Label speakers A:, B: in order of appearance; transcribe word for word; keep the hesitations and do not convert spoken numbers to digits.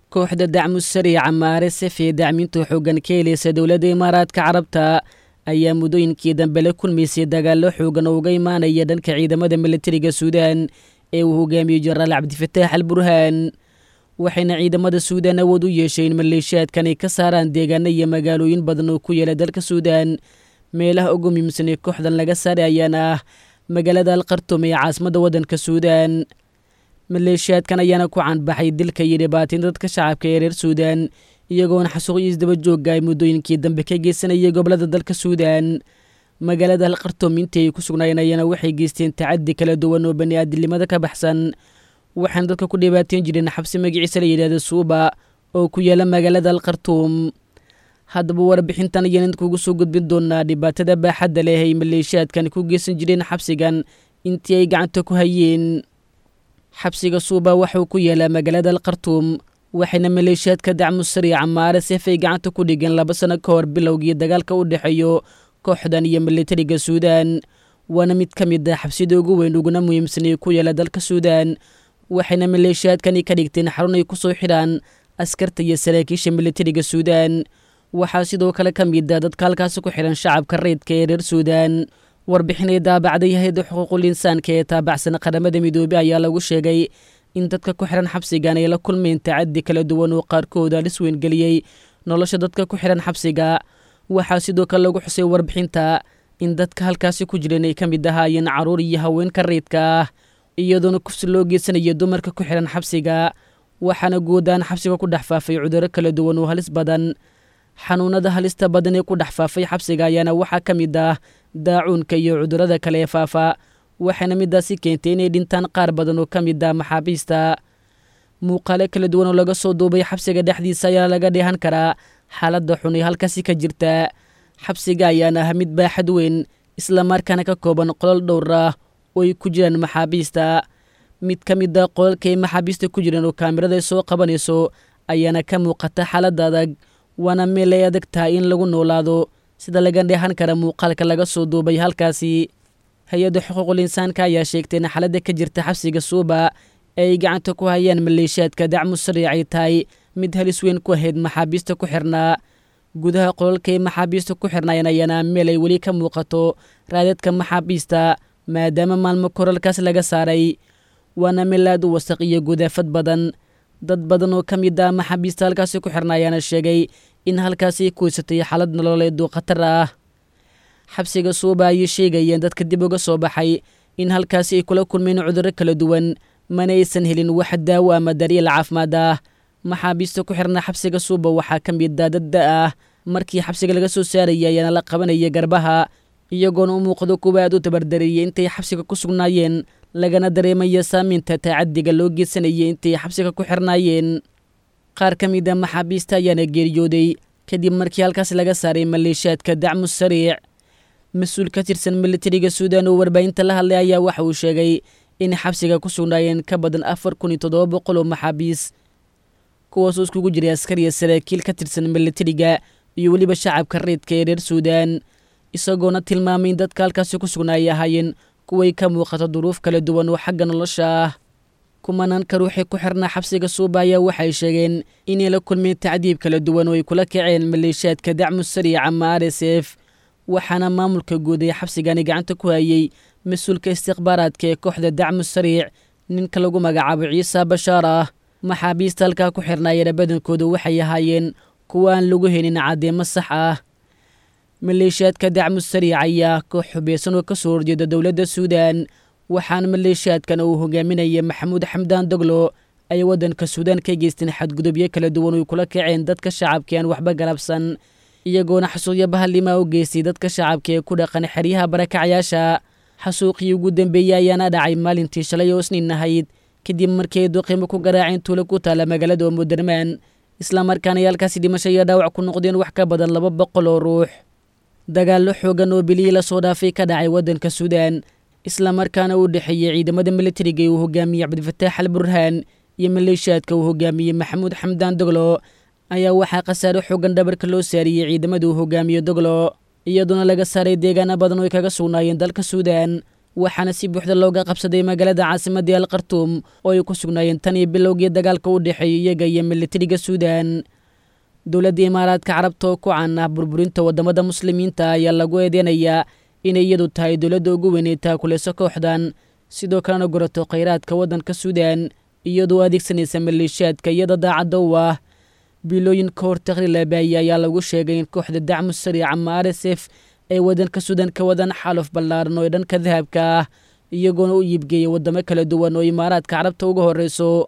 A: Kooxda Dacmu Sariic ama R S F ee dacminta xooggan ka helaysa dowladda Imaaraadka Carabta ayaa muddooyinkii dambe la kulmaysay dagaallo xoogan oo uga imaanaya dhanka ciidamada militariga Suudaan ee uu hogaamiyey Jenaraal Cabdifataax Al Burhaan, waxayna ciidamada Suudaan awood u yeeshay in maleeshiyaadkan ay ka saaraan deegaano iyo magaalooyin badan oo ku yaala dalka Suudaan. Meelaha ugu muhiimsan ee kooxdan laga saaray ayaana ah magaalada Alkhartum ee caasimadda waddanka Suudaan. Maleeshiyaadkan ayaana ku canbaxay dilka iyo dhibaateyn dadka shacabka ee reer Suudaan, iyagoona xasuuqyo isdaba joogga ay muddooyinkii dambe ka geysanayay gobolada dalka Suudaan. Magaalada Alkhartum intii ay ku sugnaayeen ayaana waxay geysteen tacaddi kala duwan oo bani-aadinimada ka baxsan, waxaana dadka ku dhibaateyn jireen xabsi magaciisa la yidhaahda Suuba oo ku yaala magaalada Alkhartuum. Haddaba warbixintan ayaan idinkugu soo gudbin doonaa dhibaatada baaxadda leh ay maleeshiyaadkan ku geysan jireen xabsigan intii ay gacanta ku hayeen. Xabsiga Suuba waxauu ku yaalaa magaalada Alkhartuum, waxayna maleeshiyaadka Dacmu Sariic ama R S F ay gacanta ku dhigeen laba sano ka hor bilowgii dagaalka u dhexeeyo kooxdan iyo militariga Suudaan. Waana mid ka mid ah xabsida ugu weyn uguna muhiimsan ee ku yaala dalka Suudaan, waxayna maleeshiyaadkani ka dhigteen xarun ay ku soo xidhaan askarta iyo saraakiisha militariga Suudaan. Waxaa sidoo kale ka mid ah dadka halkaasi ku xidhan shacabka rayidka ee reer Suudaan. Warbixinay daabacday hay-adda xuquuqul insaanka ee taabacsan Qaramada Midoobey ayaa lagu sheegay in dadka ku xidhan xabsigan ay la kulmeen tacaddi kala duwan oo qaarkood halis weyn geliyey nolosha dadka ku xidhan xabsiga. Waxaa sidoo kale lagu xusay warbixinta in dadka halkaasi ku jireen ay ka mid ahaayeen carruur iyo haweenka rayidka ah, iyadoona kufsi loo geysanayo dumarka ku xidhan xabsiga. Waxaana guudahaan xabsiga ku dhex faafay cudurro kala duwan oo halis badan. Xanuunada halista badan ee ku dhex faafay xabsiga ayaana waxaa ka mid ah daacuunka iyo cudurrada kale ee faafa, waxaana midaasi keentay inay dhintaan qaar badan oo ka mid ah maxaabiista. Muuqaale kala duwan oo laga soo duubay xabsiga dhexdiisa ayaa laga dheehan karaa xaaladda xun ee halkaasi ka jirta. Xabsiga ayaana ah mid baaxad weyn, islamarkaana ka kooban qolal dhowr ah oo ay ku jiraan maxaabiista. Mid ka mid ah qolalka ay maxaabiista ku jiraan oo kaamirada ay soo qabanayso ayaana ka muuqata xaaladda adag, waana meel ay adag tahay in lagu noolaado, sida laga dheehan kara muuqaalka laga soo duubay halkaasi. Hay-adda xuquuqul insaanka ayaa sheegtay in xaaladda ka jirta xabsiga Suuba ee ay gacanta ku hayaan maleeshiyaadka Dacmu Sariic ay tahay mid halis weyn ku ahayd maxaabiista ku xirnaa. Gudaha qolalka ay maxaabiista ku xirnaayeen ayaana meel ay weli ka muuqato raadadka maxaabiista, maadaama maalmo koralkaas laga saaray, waana meel aad u wasaq iyo gudaafad badan. Dad badan oo ka mid ah maxaabiista halkaasi ku xirna ayaana sheegay in halkaasi ay ku haysatay xaalad nololeed oo khatar ah. Xabsiga Suuba ayay sheegayeen dadka dib uga soo baxay in halkaasi ay kula kulmeen cudurro kala duwan, mana aysan helin wax daawo ama daryeel caafimaad ah. Maxaabiista ku xirna xabsiga Suuba waxaa ka mid ah dad da ah markii xabsiga laga soo saaraya ayaana la qabanaya garbaha, iyagoona u muuqdo kuwa aad u tabardareeyay intay xabsiga ku sugnaayeen, lagana dareemaya saameynta tacaddiga loo geysanayay intay xabsiga ku xirnaayeen. Qaar ka mid a maxaabiista ayaana geeriyooday kadib markii halkaas laga saaray maleeshiyaadka Dacmu Sariic. Mas-uul ka tirsan militariga Suudaan oo warbaahinta la hadlay ayaa waxa uu sheegay in xabsiga ku sugnaayeen ka badan afar kun iyo toddoba boqol oo maxaabiis, kuwaasoo iskugu jiray askar iyo saraakiil ka tirsan militariga iyo weliba shacabka rayidka ee reer Suudaan, isagoona tilmaamay in dadka halkaasi ku sugnaa ay ahaayeen kuway ka muuqato duruuf kala duwan oo xagga nolosha ah. Kumanaanka ruuxii ku xirnaa xabsiga Suuba ayaa waxay sheegeen inay la kulmeen tacdiib kala duwan oo ay kula kaceen maleeshiyaadka Dacmu Sariic ama R S F. Waxaana maamulka guud ee xabsigani gacanta ku hayay mas-uulka istikhbaaraadka ee kooxda Dacmu Sariic, ninka lagu magacaabo Ciisa Bashaar ah. Maxaabiista halkaa ku xirnaayeen badankoodu waxay ahaayeen kuwa aan lagu helin caddeemo sax ah. Maleeshiyaadka Dacmu Sariic ayaa koox xubeysan oo ka soo horjeeda dowladda Suudaan, waxaana maleeshiyaadkan uu hogaaminaya Maxamuud Xamdaan Doglo ay waddanka Suudaan ka geysteen xadgudubyo kala duwan oy kula kaceen dadka shacabka aan waxba galabsan, iyagoona xasuuqyo bahalimaa u geystay dadka shacabka ee ku dhaqan xeryaha barakacayaasha. Xasuuqii ugu dambeeyey ayaana dhacay maalintii shalay oo Isniin ahayd, kadib markii ay duqimo ku garaaceen tuulo ku taala magaalada Omudurmaan, islamarkaana ay halkaasi dhimasho iyo dhaawac ku noqdeen wax ka badan laba boqol oo ruux. Dagaallo xoogan oo bilihii lasoo dhaafay ka dhacay waddanka Suudaan, islamarkaana u dhexeeyey ciidamada militariga ee uu hogaamiyey Cabdifataax Al Burhaan iyo maleeshiyaadka uu hogaamiyey Maxamuud Xamdaan Doglo, ayaa waxaa khasaare xoogan dhabarka loo saariyey ciidamada uu hogaamiyo Doglo, iyadoona laga saaray deegaano badan oo ay kaga sugnaayeen dalka Suudaan. Waxaana si buuxda looga qabsaday magaalada caasimadii Al Khartuum oo ay ku sugnaayeen tan iyo bilowgii dagaalka u dhexeeyay iyaga iyo militariga Suudaan. Dowladda Imaaraadka Carabta oo ku caan ah burburinta waddamada muslimiinta ayaa lagu eedeynayaa inay iyadu tahay dowladda ugu weyn ee taakulayso kooxdan, sidoo kalena gurato khayraadka waddanka Suudaan iyadoo adeegsanaysa maleeshiyaadka iyada daacadda u ah. Bilooyin ka hor taqriir la baahiyey ayaa lagu sheegay in kooxda Dacmu Sariic ama R S F ay waddanka Suudaan ka wadaan xaaluf ballaaran oo dhanka dahabka ah, iyagoona u iibgeeyay waddamo kala duwan oo Imaaraadka Carabta uga horreyso.